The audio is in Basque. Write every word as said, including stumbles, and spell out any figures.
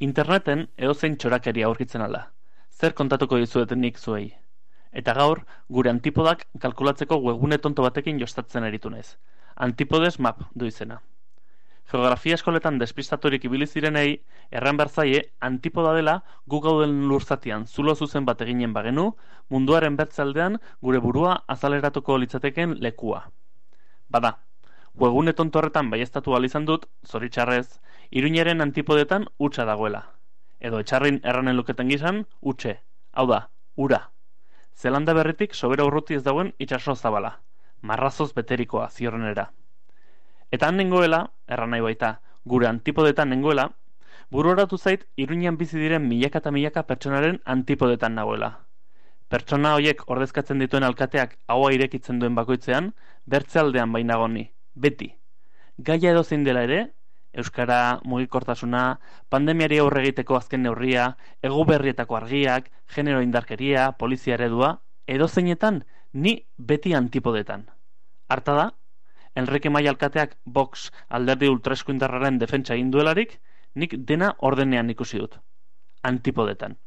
Interneten edozein txorakeria aurkitzen ala. Zer kontatuko dizueten nik zuei? Eta gaur, gure antipodak kalkulatzeko webgune tonto batekin jostatzen eritu naiz. Antipodes map du izena. Geografia eskoletan despistaturik ibili zirenei, erran behar zaie, antipoda dela gu gauden lurzatian zulo zuzen bat eginen bagenu, munduaren bertzaldean gure burua azaleratuko litzateken lekua. Bada, webgune tonto horretan baieztatu ahal izan dut, zoritxarrez, Iruñaren antipodetan hutsa dagoela. Edo etxarrin erranen luketen gizan, hutxe. Hau da, ura. Zelanda berritik sobera urruti ez dauen itxaso zabala. Marrazoz beterikoa ziorrenera. Eta han nengoela, erran nahi baita, gure antipodetan nengoela, buruaratu zait Iruñan bizi diren milaka eta milaka pertsonaren antipodetan nagoela. Pertsona horiek ordezkatzen dituen alkateak haua irekitzen duen bakoitzean, bertzealdean bainagoni, beti. Gaia edozein dela ere, euskara, mugikortasuna, pandemiari aurre egiteko azken neurria, ego berrietako argiak, genero indarkeria, polizia eredua, edozeinetan ni beti antipodetan. Harta da, Enrique Maia alkateak Vox alderdi ultraeskuindarraren defentsa egin duelarik, nik dena ordenean ikusi dut. Antipodetan.